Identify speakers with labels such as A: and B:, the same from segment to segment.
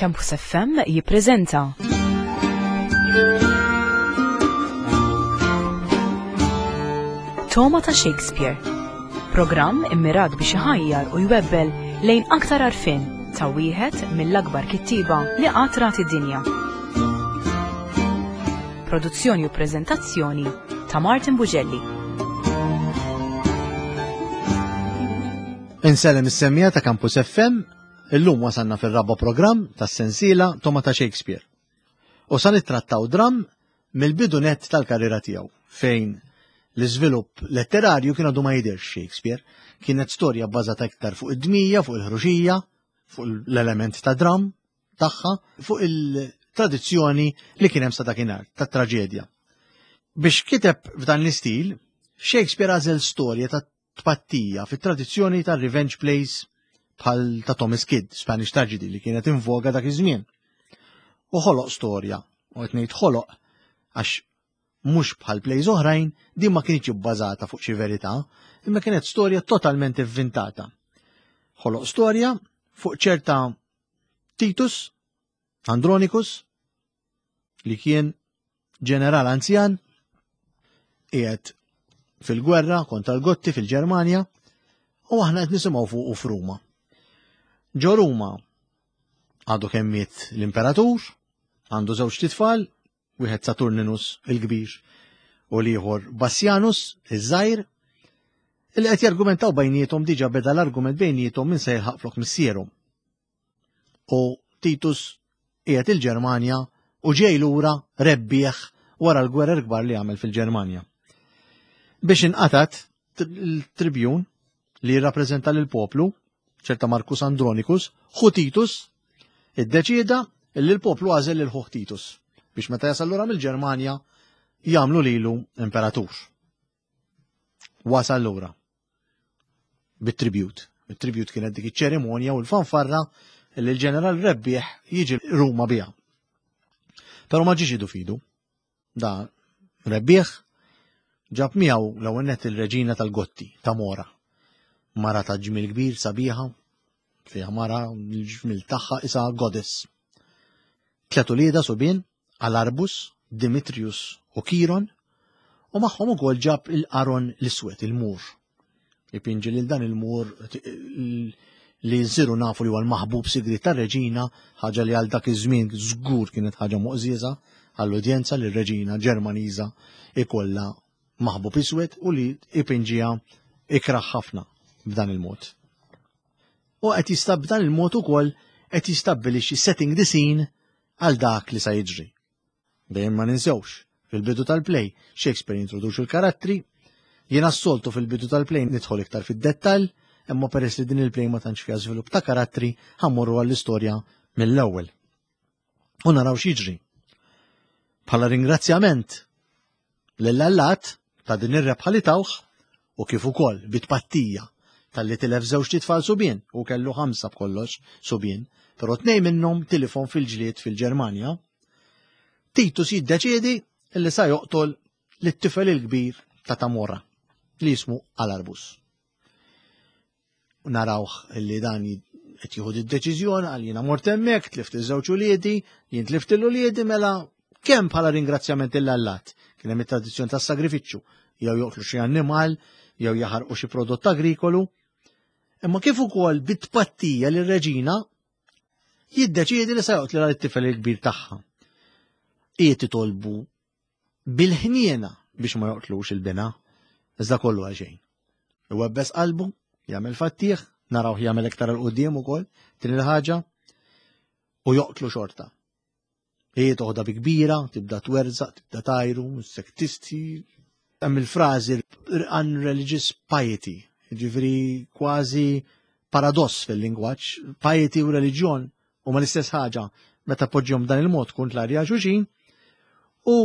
A: Campus FM jippreżenta. Toma ta' Shakespeare. Programm immirat biex iħajjar u jwebbel lejn aktar għarfien ta' wieħed mill-akbar kittieba li qatt rat id-dinja. Produzzjoni u preżentazzjoni ta' Martin Bugelli.
B: Insellem is-semmija ta' Campus FM Illum wasalna fir-raba' programm tas-sensiela Toma ta' Shakespeare. U sa nittrattaw dramm mill-bidu nett tal-karriera tiegħu fejn l-iżvilupp letterarju kien għadu ma jidhirx Shakespeare. Kienet storja bbażata iktar fuq id-dmija, fuq il-ħruxija, fuq l-element ta' dramm tagħha, fuq il-tradizzjoni li kien hemm sa dakinhar tat-traġedja. Biex kiteb f'dan l-istil, Shakespeare għażel storja ta' tpattija fit-tradizzjoni tar-revenge plays bħal ta' Thomas Kidd, Spanish Tragedy li kienet in voga dak iż-żmien. U ħoloq storja, u qed ngħid ħoloq għax mhux bħal plays oħrajn din ma kienx ibbażata fuq xi verità, imma kienet storja totalment ivvintata. Ħoloq storja fuq ċerta Titus Andronicus li kien ġeneral anzjan qiegħed fil-gwerra kontra l-Gotti fil-Ġermanja u aħna qed nisimgħu fuqu f'Ruma. Ġo Ruma għadu kemm miet l-imperatur, għandu żewġ titfal, wieħed Saturninus il-kbir u l-ieħor Bassianus iż-żgħir, li qed jargumentaw bejniethom diġà beda l-argument bejniethom min se jilħaq flok missierhom. U Titus qiegħed il-Ġermanja u ġej lura rebbieħ wara l-gwerer kbar li għamel fil-Ġermanja. Biex inqatat il-tribjun li jirrappreżenta lil poplu, ċerta Marcus Andronicus, ħu Titus, iddeċieda li l-poplu għażel lil ħuh Titus biex meta jasal lura mill-Ġermanja jagħmlu lilu imperatur. Wasal lura. bit-tribute. It-tribute kienet dik iċ-ċerimonja u l-fanfarra li l-ġeneral rebbieħ jiġi Ruma biha. Però ma ġiex idu fidu. Da rebbieħ ġab miegħu l-ewwel nett il-reġina tal-Gotti, ta' Mora. Mara ta' ġmil kbir sabiħa, fiha mara l-ġmil tagħha isa goddess. Tlet ulieda subien, Alarbus, Dimitrius u Kiron, u magħhom ukoll ġab il-Aron l-Iswed, il-Mur. Ipinġi lil dan il-Mur li nsiru nafu li huwa l-maħbub sigriet tar-reġina, ħaġa li għal dak iż-żmien żgur kienet ħaġa moqżieża għall-udjenza li r-reġina Ġermaniża ikollha maħbub iswed u li ipinġiha ikrah ħafna b'dan il-mod. U qed jistab b'dan il-mod ukoll qed jistabbilixxi setting the scene għal dak li sa jiġri. Dejjem ma ninsewx, fil-bidu tal-play, Shakespeare jintroduċi l-karattri, jiena s-soltu fil-bidu tal-play nidħol iktar fid-dettall, imma peress li din il-play ma tantx fiha żvilupp ta' karattri, ħammorru għall-istorja mill-ewwel. U naraw x'jiġri. Bħala ringrazzjament lill-allat ta' din ir-rebħa li tawh u kif ukoll bi tpattija talli tilef żewġt itfal subien u kellu ħamsa b'kollox subien, però tnejn minnhom tilifhom fil-ġlied fil-Ġermanja. Titus jiddeċiedi li sa joqtol lit-tifel il-kbir ta' Tamora li jismu Alarbus. Narawh li dan qed jieħu d-deċiżjoni għal jiena mort hemmhekk, tlift iż-żewġ uliedi, jien tlift il-uliedi mela kemm bħala ringrazzjament lil Allat. Kien hemm it-tradizzjoni tas-sagrifiċċju, jew joqtlu xi annimal, jew jaħarqu xi prodott agrikolu. Imma kif ukoll bit-tpattija lir reġina jiddeċiedi li se joqtlilha lit-tifel il-kbir tagħha. Qiegħed titolbu bil-ħniena biex ma joqtlux il-bina, iżda kollu għal xejn. Iwebbes qalbu, jagħmel fattieħ, narawh jagħmel iktar 'il quddiem ukoll, din il-ħaġa, u joqtlu xorta. Hi toħda bi kbira, tibda twerżaq, tibda tajru, sektisti. Hemm il-frażi unreligious piety, ġifieri kważi paradoss fil-lingwaġġ, piety u reliġjon huma l-istess ħaġa meta poġġihom b'dan il-mod kontrarji għal xulxin, u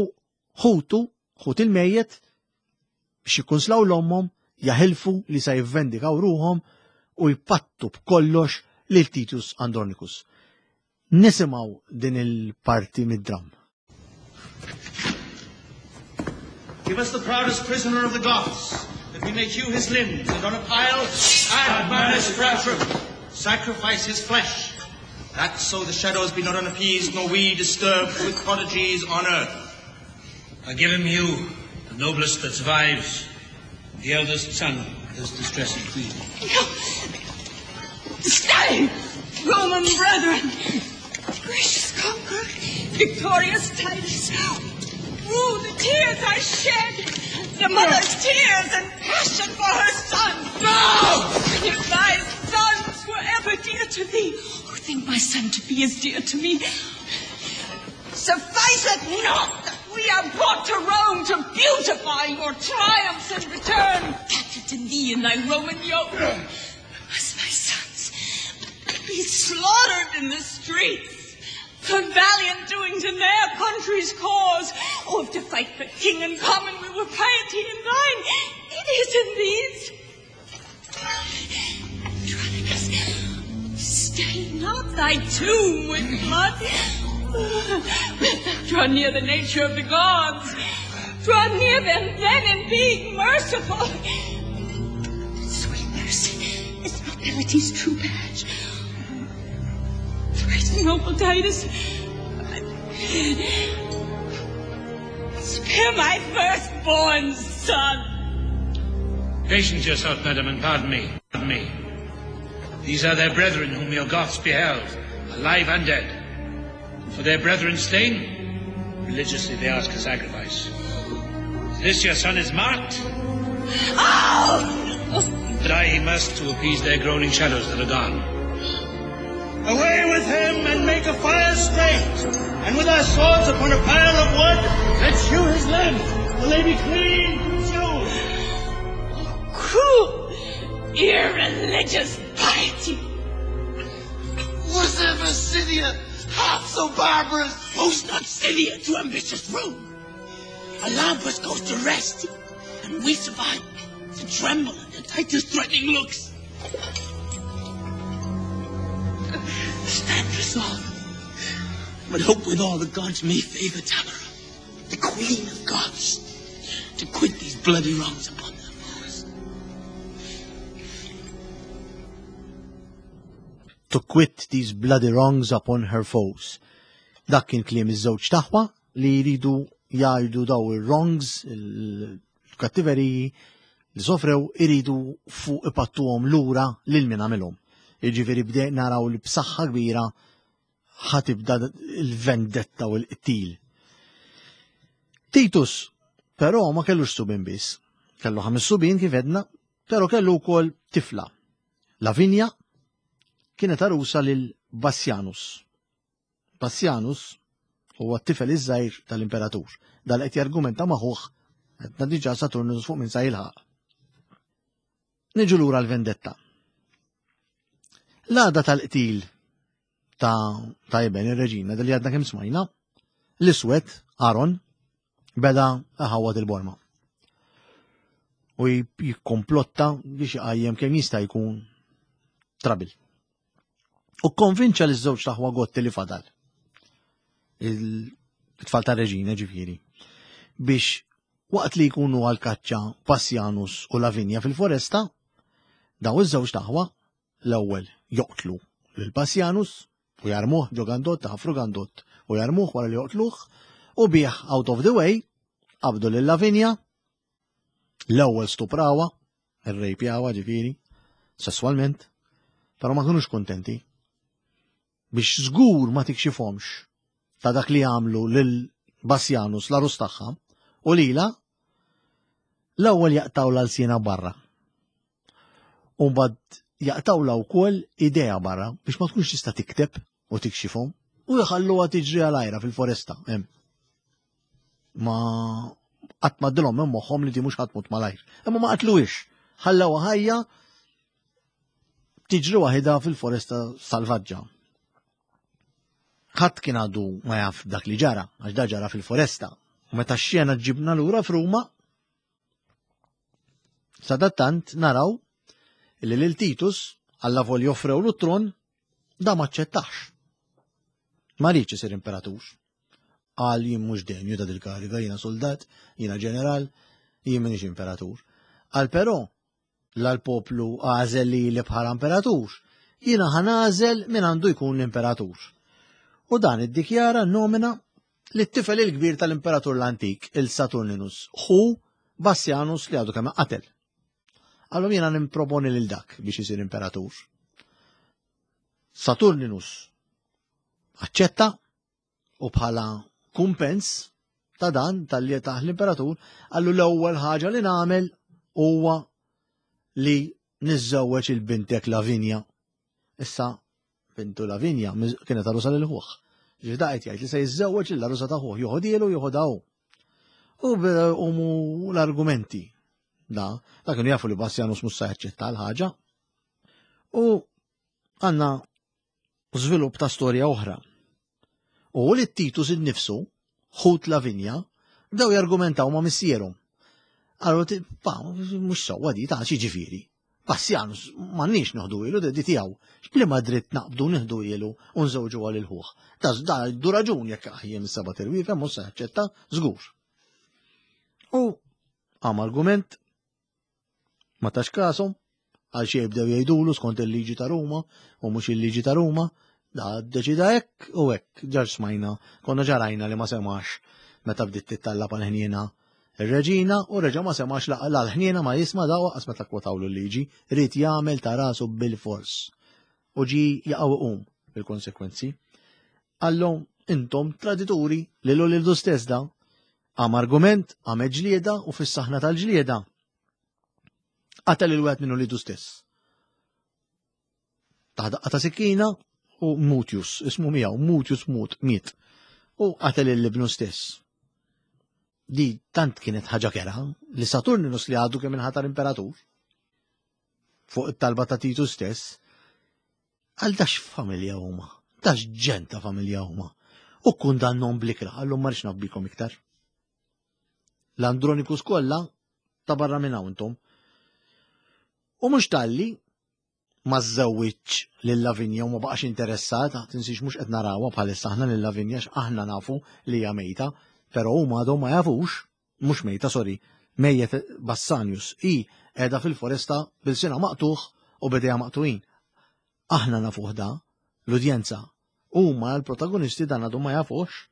B: ħutu, ħut il-mejjet, biex jikkunslaw l-ommhom, jaħilfu li sa jivvendikaw ruħhom u jpattu b'kollox lil Titus Andronicus. Nisimgħu din il-parti mid-dramm.
C: Give us the proudest prisoner of the Goths, that we may hew his limbs, and on a pile add Manus Fratrum, sacrifice his flesh. That so the shadows be not unappeased, nor we disturbed with prodigies on earth.
D: I give him you, the noblest that survives, the eldest son of this distressing queen.
E: No! Stay, Roman brethren! Gracious conqueror, victorious Titus, rue the tears I shed, the mother's tears and passion for her son.
D: No!
E: If thy sons were ever dear to thee, oh, think my son to be as dear to me. Suffice it not that we are brought to Rome to beautify your triumphs and return captive to thee in thy Roman yoke. Must my sons be slaughtered in the streets for valiant doings in their country's cause? Oh, if to fight for king and common we were piety in thine, it is in these. Andronicus, stain not thy tomb with blood. Draw near the nature of the gods. Draw near them then and be merciful. Sweet mercy is nobility's true badge. Thrice noble Titus, spare my firstborn son.
D: Patience yourself, madam, and pardon me. Pardon me. These are their brethren whom your Goths beheld, alive and dead. And for their brethren slain, religiously they ask a sacrifice. This your son is marked?
E: Oh!
D: But I he must to appease their groaning shadows that are gone.
C: Away with him and make a fire straight, and with our swords upon a pile of wood, let's hew his limbs till they be clean consumed.
E: Oh, cruel, irreligious piety!
F: Was ever Scythia half so barbarous?
G: Boast not Scythia to ambitious Rome. Olympus goes to rest, and we survive to tremble under Titus' threatening looks. Stand resolved, but hope with all the gods may favor Tamara, the queen of gods, to quit these bloody wrongs upon their foes.
B: To quit these bloody wrongs upon her foes. Dak kien kliem iż-żewġ taħwa li jridu jgħidu daw ir-wrongs, il-kattiveriji li sofrew iridu fuq ipattuhom lura lil min għamilhom. Jiġifieri bdejna naraw li b'saħħa kbira ħatibda il-vendetta u l-qtil. Titus, però ma kellux subin biss. Kellu ħames subin kif edna, però kellu wkoll tifla. Lavinia kienet arusa lil Bassianus. Bassianus huwa t-tifel iż-żgħir tal-imperatur. Dal qed jargumenta ma' ħuh qed diġà Saturnus fuq minn sa jilħaq. Niġu lura l-vendetta. L-għada tal-qtil ta' ta' iben ir-reġina li għadna kemm smajna, l-iswed Aaron beda ħawad il-borma. U jikkomplotta biex iqajjem kemm jista' jkun trabil. U konvinċa li żewġ taħwa gotti li fadal. Il-tfal ta' reġina ġifieri. Biex waqt li jkunu għal kaċċa Passjanus u Lavinja fil-foresta, daw iż-żewġ taħwa l-ewwel joqtlu lil Passjanus u jarmuh ġo gandott, ħafru gandott u jarmuh wara li joqtluh u bih out of the way qabdu lil Lavinja l-ewwel stuprawa, irrejpjawa ġifieri, sesswalment, però ma kinux kuntenti biex żgur ma tikxifhomx ta' dak li għamlu lil Bassjanus l-arus tagħha u lila l-ewwel jaqtaw l-alsina barra. U mbagħad jaqtawla wkoll idea barra biex ma tkunx tista' tikteb u tikxifhom u jħalluha tiġri għal ajra fil-foresta hemm. Ma qatt ma dilhom minn moħħhom li di mhux ħadd malajr. Imma ma qatluhiex. Ħallewha ħajja tiġri waħidha fil-foresta salvaġġa. Ħadd kien għadu ma jaf dak li ġara, għax da ġara fil-foresta. U meta x-xena ġibna lura f'Ruma, Sadattant naraw li lil Titus alla vol joffrew l tron da ma ċċettax. Ma rridx isir imperatur. Qal jien mhux denju ta' dil-kariga, jiena soldat, jiena ġeneral, jien m'iniex imperatur. Qal però la l-poplu għażel li li bħala imperatur. jiena ħa nagħżel min għandu jkun l-imperatur. U dan iddikjara nomina li t-tifel il-kbir tal-imperatur l-antik, il-Saturninus, ħu Bassianus li għadu kemm qatel. Għallhom jiena nimproponi lil dak biex isir imperatur. Saturninus aċċetta u bħala kumpens ta' dan tal-li taħ l-imperatur għallu l-ewwel ħaġa li nagħmel huwa li niżżewweġ il-bintek Lavinja. Issa bintu Lavinja kienet għarusa lil ħuh. Ġifieri qed jgħid li se jiżżewweġ lil għarusa ta' ħuh, joħodielu joħodha hu. U umu l-argumenti da, da kienu jafu li Bassianus mhux se jaċċetta l-ħaġa. U għandna żvilupp ta' storja oħra. U li Titus innifsu, ħut Lavinja, bdew jargumentaw ma' missierhom. Għallu, pa, mhux sewwa di ta' xi ġifieri. Bassianus m'għandniex noħdu ilu di tiegħu. X'bliema dritt naqbdu nieħdu ilu u nżewġu għal il-ħuħ. Da da du raġun jekk aħjem is-seba' tirwiefa mhux se jaċċetta żgur. U għam argument Ma tax kasom, għal xejn bdew jgħidulu skont il-liġi ta' Ruma u mhux il-liġi ta' Ruma, da deċida hekk u hekk, ġar smajna, konna ġarajna li ma semax meta bdiet tittallab għal ħniena ir-reġina u reġa' ma semax la l-ħniena ma jisma' da waqqas meta kwotawlu l-liġi, ried jagħmel ta' rasu bil-fors. U ġi jaqgħu iqum bil-konsekwenzi. Qallhom intom tradituri lil ulidu stess da. Qam argument, qamet ġlieda u fis-saħna tal-ġlieda qatel il wieħed minn ulidu stess. Taħ daqqa ta' sikkina u Mutius, ismu miegħu, Mutius mut, miet. U qatel il-ibnu stess. Di tant kienet ħaġa kera li Saturninus li għadu kemm inħatar imperatur fuq it-talba ta' Titu stess, għal dax familja huma, dax ġen ta' familja huma. U kundannhom blikra, għallum ma rridx nabbikom iktar. L-Andronikus kollha ta' barra minn hawn intom. U mhux talli ma żżewwiġ lil Lavinja u ma baqax interessat, tinsiex mhux qed narawha bħalissa aħna lil Lavinja aħna nafu li hija mejta, però huma għadhom ma jafux, mhux mejta, sorry, mejjet Bassanius, hi qiegħda fil-foresta bil-sina maqtuħ u bidejha maqtuin. Aħna nafuh da, l-udjenza, huma l-protagonisti dan għadhom ma jafux,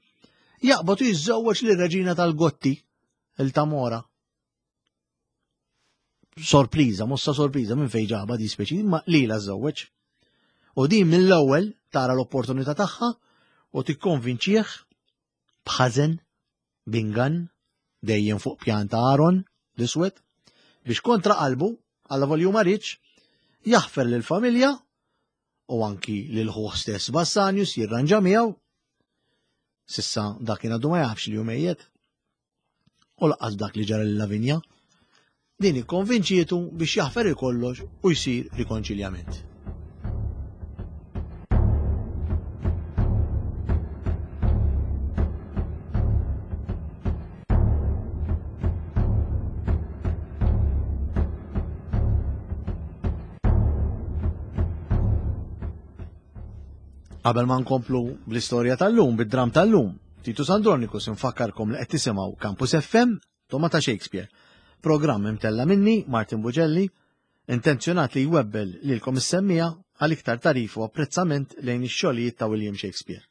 B: jaqbad u jiżżewweġ lir-reġina tal-Gotti, il-Tamora. Sorpriża, mossa sorpriża minn fejn ġaba di speċi, ma lila żżewweġ. U din mill-ewwel tara l-opportunità tagħha u tikkonvinċih b'ħażen, b'ingann, dejjem fuq pjan ta' Aaron l-iswed, biex kontra qalbu, alla volju ma riedx, jaħfer lill-familja u anki lil ħuh stess Bassanius jirranġa miegħu. Sissa dak kien għadu ma jafx li hu mejjet. U laqqas dak li ġara lil Lavinja. Din ikkonvinċietu biex jaħfer il-kollox u jsir rikonċiljament. Qabel ma nkomplu bl-istorja tal-lum, bid-dram tal-lum, Titus Andronicus infakkarkom li qed tisimgħu Campus FM, Toma ta' Shakespeare. Programm imtella minni, Martin Bugelli, intenzjonat li jwebbel lilkom is-semmija għal iktar tarif u apprezzament lejn ix-xogħlijiet ta' William Shakespeare.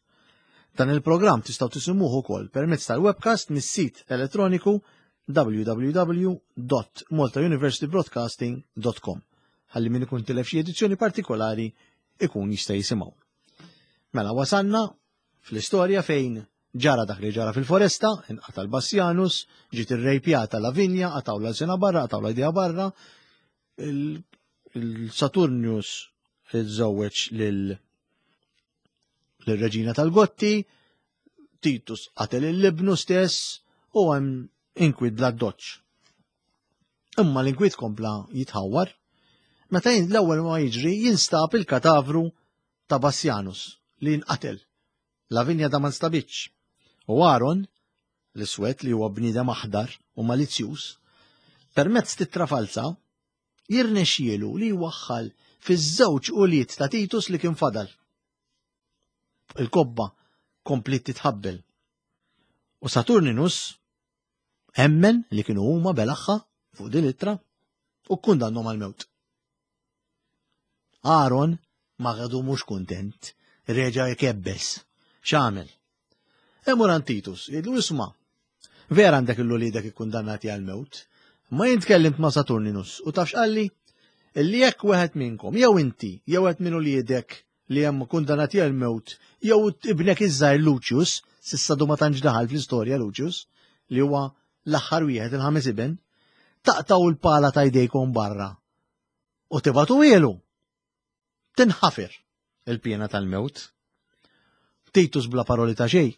B: Dan il-programm tistgħu tisimgħuh ukoll permezz tal-webcast mis-sit elettroniku www.maltauniversitybroadcasting.com ħalli min ikun tilef xi edizzjoni partikolari ikun jista' jisimgħu. Mela wasanna fl-istorja fejn ġara dak li ġara fil-foresta, inqata' l-Bassjanus, ġiet irrejpjata Lavinja, qatgħu l-sena barra, qatgħu l-idea barra, il-Saturnius iżżewweġ lil lir-reġina tal-Gotti, Titus qatel il-libnu stess u hemm inkwid bla doċ. Imma l-inkwit kompla jitħawwar meta l-ewwel ma jiġri jinstab il-katavru ta' Bassjanus li nqatel. Lavinja da ma nstabitx. U Aaron, l-iswed li huwa bniedem aħdar u malizzjuż, permezz tittra falza, jirnexxielu li jwaħħal fiż-żewġ ulied ta' Titus li kien fadal. Il-kobba kompliet titħabbel. U Saturninus emmen li kienu huma belaħħa fuq din ittra u kkundannhom għall-mewt. Aaron Ma għadu mhux kuntent, reġa' jkebbes. X'għamel? Imur għand Titus, jgħidlu isma' vera għandek il-uliedek ikkundannati għal-mewt, ma jien tkellimt ma' Saturninus u taf x'qalli? Illi jekk wieħed minnkom, jew inti, jew wieħed minn uliedek li hemm kundannati għal-mewt, jew ibnek iż-żgħir Lucius, s'issa du ma tantx daħal fl-istorja Lucius, li huwa l-aħħar wieħed il-ħames iben, taqtgħu l-pala ta' jdejkom barra u tibgħatuhielu. Tinħafer il-piena tal-mewt. Titus bla paroli ta' xejn,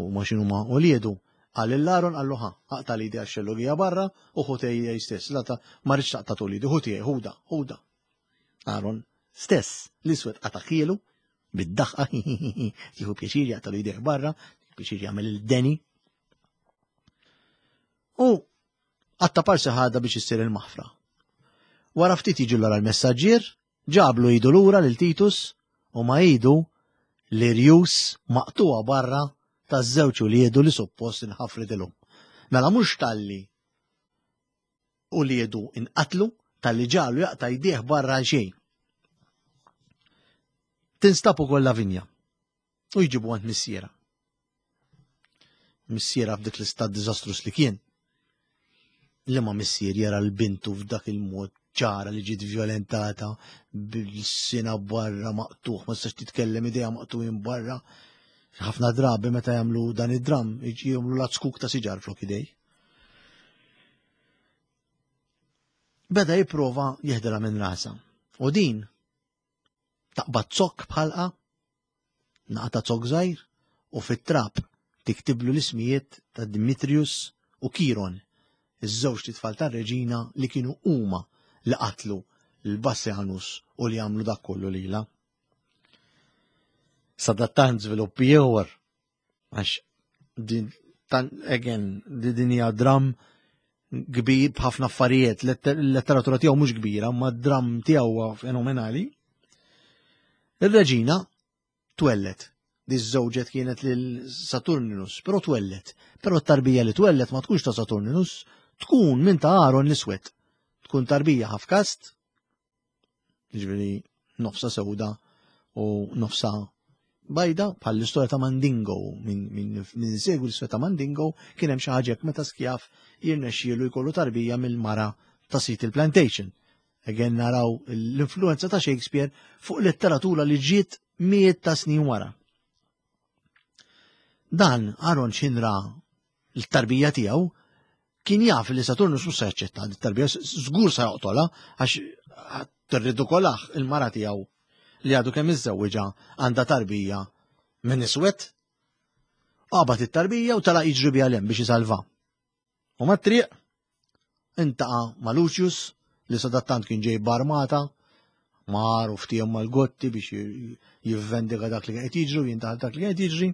B: u ma xinu ma uliedu, qal lil Aaron qallu ħa, aqta' l-idi għax-xellugija barra u ħu tiegħi stess, la ta' ma rridx taqta' tul idi, ħu tiegħi, ħuda, ħuda. Aaron stess, l-iswed qata' ħielu, bid-daħqa, jieħu pjaċir jaqta' l-idejh barra, pjaċir jagħmel il-deni. U għatta parsi ħada biex issir il-maħfra. Wara ftit jiġi l l-messaġġier, ġablu idu lura lil Titus u ma idu l-irjus maqtuha barra taż-żewġ uliedu li suppost inħafritilhom. Mela mhux talli uliedu inqatlu talli ġalu jaqta' jdejh barra għal xejn. Tinstab ukoll Lavinja u jġibu għand missiera. Missiera f'dik l-istat diżastrus li kien. Li ma missier jara l-bintu f'dak il-mod ċara li ġiet violentata bil-sina barra maqtuħ, ma tistax titkellem idea maqtuħin barra. Ħafna drabi meta jagħmlu dan id-dram, jagħmlu lazzkuk ta' siġar flok idej. Beda jipprova jeħdilha minn rasa. U din taqbad zokk bħalqa, naqta zokk żgħir u fit-trab tiktiblu l-ismijiet ta' Dimitrius u Kiron, iż-żewġ titfal tar-reġina li kienu huma li qatlu l-Bassianus u li għamlu dak kollu lilha. Sadattant żviluppi ieħor Għax din tan again di din hija dram kbir b'ħafna affarijiet, l-letteratura tiegħu mhux kbira, ma d-dram tiegħu huwa fenomenali. Ir-reġina twellet. Di żewġet kienet lil Saturninus, però twellet. Però t-tarbija li twellet ma tkunx ta' Saturninus, tkun minn ta' Aaron l-iswed. Tkun tarbija ħafkast, Ġifieri nofsa sewda u nofsa bajda bħal l-istorja ta' Mandingo min, min, min segwi l-istorja ta' Mandingo kien hemm xi ħaġa meta skjaf jirnexxielu jkollu tarbija mill-mara ta' sit il-plantation. Again naraw l-influenza ta' Shakespeare fuq letteratura li ġiet mijiet ta' snin wara. Dan Aaron xinra l-tarbija tiegħu kien jaf li Saturnus mhux se jaċċetta t-tarbija, żgur se joqtolha għax tirridukolah il-mara tiegħu li għadu kemm iżżewwiġha għandha tarbija minn iswed. Qabad it-tarbija u tala jiġri biha lem biex isalva. U mat-triq intaqa' ma' Lucius li sadattant kien ġej b'armata mar u ftiem mal-Gotti biex jivvendika dak li qed jiġri u jintaħal dak li qed jiġri.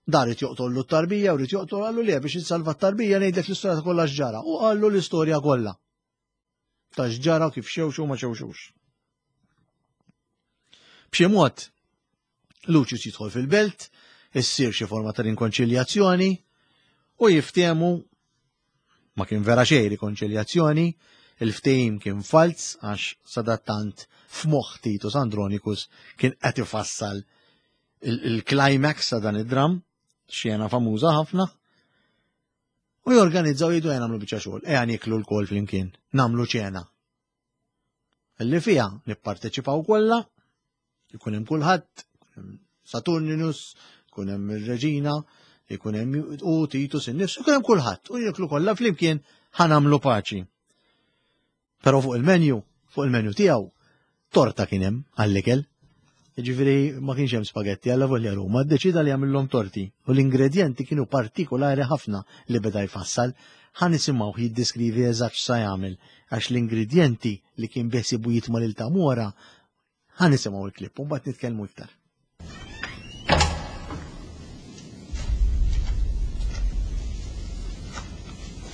B: Dar irid joqtollu t-tarbija u rrid joqtol qallu le biex insalva t-tarbija ngħidlek l-istorja ta' kollha x'ġara u qallu l-istorja kollha. Ta' x'ġara kif xewxu ma xewxux. B'xi mod Lucius jidħol fil-belt, issir xi forma ta' rinkonċiljazzjoni u jiftehmu ma kien vera xejn rikonċiljazzjoni, il-ftehim kien falz għax sadattant f'moħħ Titus Andronicus kien qed ifassal il-climax ta' dan id-dram, xena famuża ħafna, u jorganizzaw jgħidu ejja nagħmlu biċċa xogħol, ejja nieklu lkoll flimkien, nagħmlu ċena. Li fiha nipparteċipaw kollha, ikun hemm kulħadd, Saturninus, ikun hemm ir-reġina, ikun hemm u Titus innifsu, ikun hemm kulħadd u jieklu kollha flimkien ħa nagħmlu paċi. Però fuq il-menu, fuq il-menu tiegħu, torta kien hemm għall-ikel. Jiġifieri ma kienx hemm spagetti alla volja Ruma, ddeċida li jagħmilhom torti u l-ingredjenti kienu partikolari ħafna li beda jfassal. Ħa nisimgħuh jiddeskrivi eżatt x'sa jagħmel għax l-ingredjenti li kien beħsiebu jitma' lil Tamora ħa nisimgħu l-klipp u mbagħad nitkellmu iktar.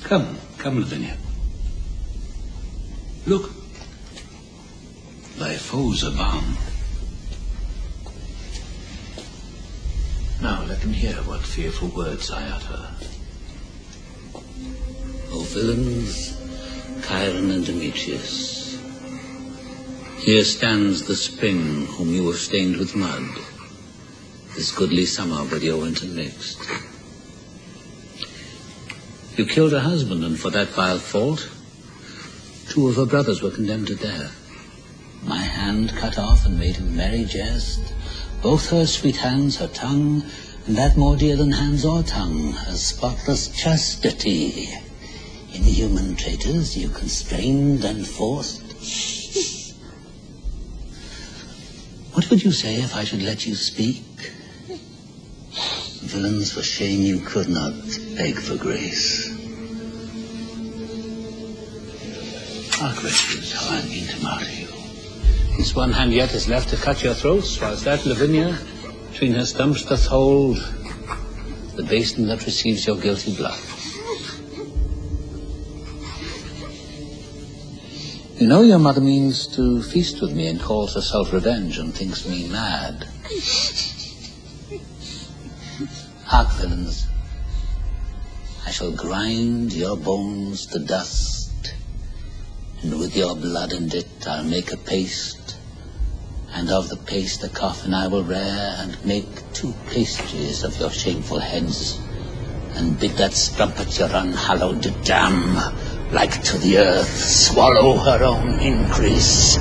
D: Come, come, Lavinia. Look. Thy foes are bound. Now let them hear what fearful words I utter. O villains, Chiron and Demetrius, Here stands the spring whom you have stained with mud, this goodly summer with your winter mixed. You killed her husband, and for that vile fault, two of her brothers were condemned to death. My hand cut off and made a merry jest, both her sweet hands, her tongue, and that more dear than hands or tongue, her spotless chastity. Inhuman traitors you constrained and forced. What would you say if I should let you speak? Villains, for shame you could not beg for grace. Hark, wretches, how I mean to martyr you. This one hand yet is left to cut your throats, whilst that Lavinia between her stumps doth hold the basin that receives your guilty blood. You know your mother means to feast with me and calls herself revenge and thinks me mad. Hark, villains. I shall grind your bones to dust, and with your blood and it I'll make a paste, and of the paste a coffin I will rear, and make two pastries of your shameful heads, and bid that strumpet your unhallowed dam, like to the earth, swallow her own increase.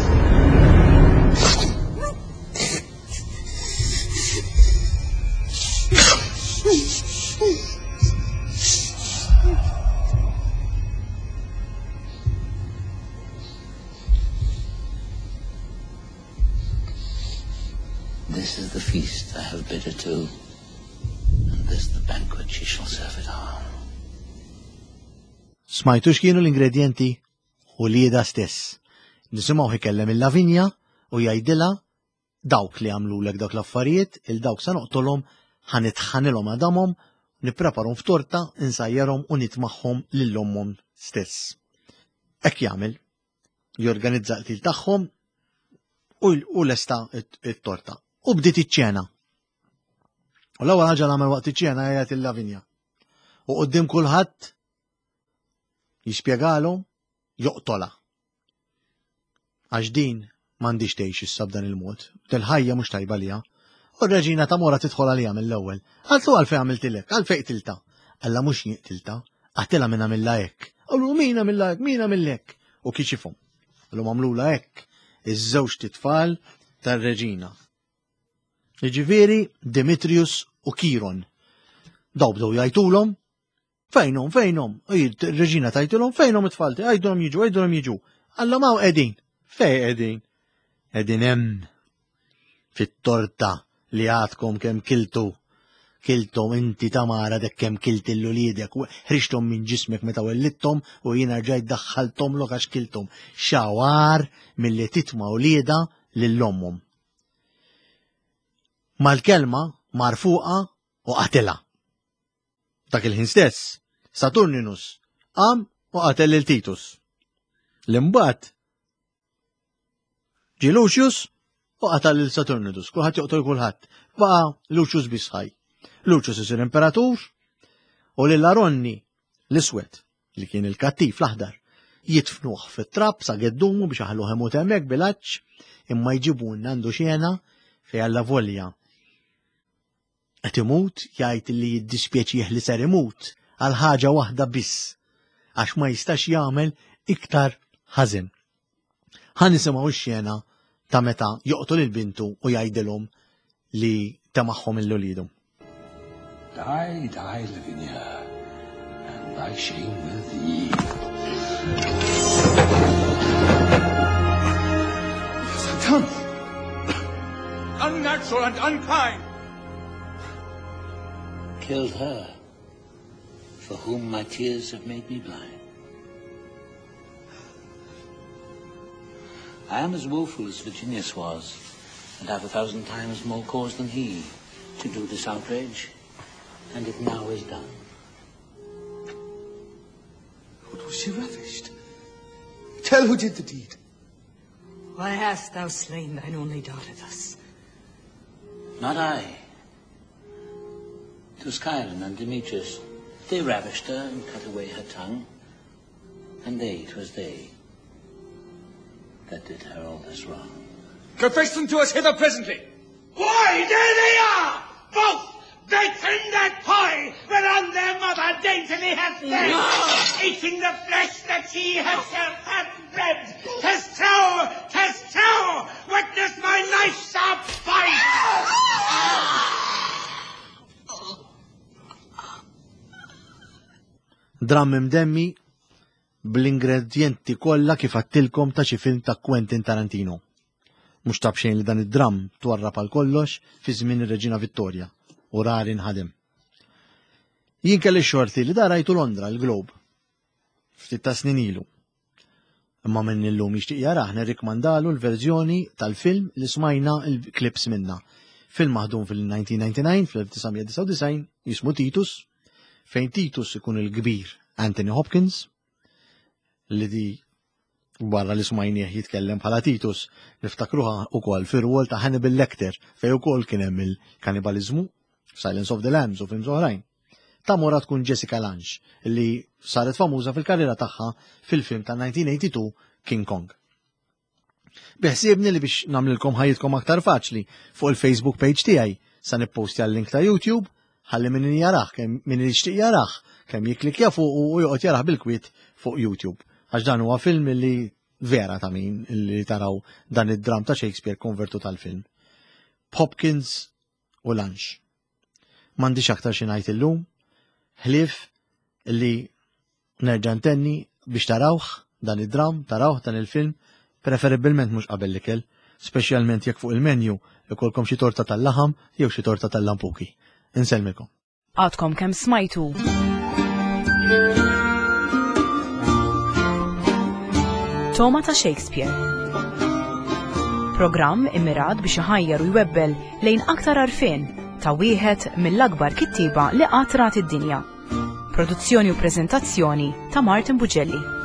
D: This is the feast I have bid her to, and this the banquet she shall serve it on.
B: Smajtu x'kienu l-ingredjenti? Uliedha stess. Nisimgħuh ikellem il-Lavinja u jgħidilha dawk li għamlulek dawk l-affarijiet, il dawk sa noqtolhom, ħa nitħanilhom għadamhom, nippreparhom f'torta, insajjarhom u nitmagħhom lil ommhom stess. Hekk jagħmel. Jorganizza l-qtil tagħhom u lesta it-torta. U bdiet iċ-ċena. U l-ewwel ħaġa l-għamel waqt iċ-ċena jgħid il-Lavinja. U qudiem kulħadd jispjegalhom joqtolha. Għax din m'għandix tgħix issa b'dan il-mod. Del-ħajja mhux tajba liha. U r-reġina ta' Mora tidħol għalija mill-ewwel. Qaltlu għalfejn għamiltilek, għalfejn qtilta. Alla mhux jien qtilta, qatilha min għamilha hekk. Qallu min għamilha hekk, min għamilha hekk. U kixifhom. Qallu għamlula hekk iż-żewġ titfal tar-reġina. Jiġifieri Demetrius u Kiron. Daw bdew jgħidulhom Fejnhom, fejnhom? Ir-reġina tajtilhom fejnhom it-tfal tiegħi, għidulhom jiġu, għidulhom jiġu. Alla ma qegħdin. Fej qegħdin? Qegħdin hemm fit-torta li għadkom kemm kiltu. Kiltom inti Tamara dek kemm kilt il-uliedek, ħriġthom minn ġismek meta wellidthom u jiena rġajt daħħalthom lok għax kilthom. Xawar milli titma' uliedha lil ommhom. Mal-kelma mar fuqha u qatilha. Dak il-ħin stess, Saturninus qam u qatel lil Titus. L-imbagħad ġie Lucius u qatal lil Saturninus, kulħadd joqtol kulħadd. Baqa' Lucius biss ħaj. Lucius isir imperatur u lil Aronni l-iswed li kien il-kattiv l-aħdar jitfnuh fit-trab sa geddumu biex aħluh imut hemmhekk bil-għatx imma jġibulna għandu xena fejn alla volja Qed imut jgħid li jiddispjaċih li ser imut għal ħaġa waħda biss għax ma jistax jagħmel iktar ħażin. Ħa nisimgħu x-xena ta' meta joqtol il-bintu u jgħidilhom li temagħhom il-ulidu.
D: Die, die, Lavinia, and thy shame with thee.
C: Come! Unnatural and unkind!
D: Killed her, for whom my tears have made me blind. I am as woeful as Virginius was, and have 1,000 times more cause than he to do this outrage, and it now is done.
C: What was she ravished? Tell who did the deed.
E: Why hast thou slain thine only daughter thus?
D: Not I. 'Twas Chiron and Demetrius. They ravished her and cut away her tongue. And they, 'twas they. that did her all this wrong.
C: Confess them to us hither presently. Why, there they are! Both baked in that pie whereon their mother daintily hath fed, eating the flesh that she herself hath bred. Tis true, tis true! Witness my knife sharp bite!
B: Dramm imdemmi bl-ingredjenti kollha kif għattilkom ta' xi film ta' Quentin Tarantino. Mhux ta' b'xejn li dan id-dramm twarrab għal kollox fi żmien ir-Reġina Vittoria u rari nħadem. Jien kelli xorti li da rajtu Londra l-Globe ftit ta' snin ilu. Imma minn illum jixtieq jarah nirrikmandalu l-verżjoni tal-film li smajna l-clips minna. Film maħdum fil-1999, fl-1999, jismu Titus, fejn Titus ikun il-kbir Anthony Hopkins, li di barra li smajnieh jitkellem bħala Titus, niftakruha ukoll fir-rwol ta' Hannibal Lecter, fejn ukoll kien hemm il-kanibaliżmu, Silence of the Lambs u films oħrajn. Tamora tkun Jessica Lange, li saret famuża fil-karriera tagħha fil-film ta' 1982 King Kong. Biħsiebni li biex nagħmlilkom ħajjitkom aktar faċli fuq il-Facebook page tiegħi sa nippostja l-link ta' YouTube ħalli min jarah kemm min jixtieq jarah kemm jikklikja fuq u joqgħod jarah bil-kwiet fuq YouTube. Għax dan huwa film li vera ta' min li taraw dan id-dram ta' Shakespeare konvertu tal-film. Hopkins u Lange. M'għandix aktar xi ngħid illum, ħlief li nerġa' ntenni biex tarawh dan id-dram, tarawh dan il-film, preferibilment mhux qabel l-ikel, speċjalment jekk fuq il-menu ikolkom xi torta tal-laħam jew xi torta tal-lampuki. Insellmilkom.
A: Għadkom kemm smajtu. Toma ta' Shakespeare. Programm immirat biex iħajjar u jwebbel lejn aktar għarfien ta' wieħed mill-akbar kittieba li qatt rat id-dinja. Produzzjoni u preżentazzjoni ta' Martin Bugelli.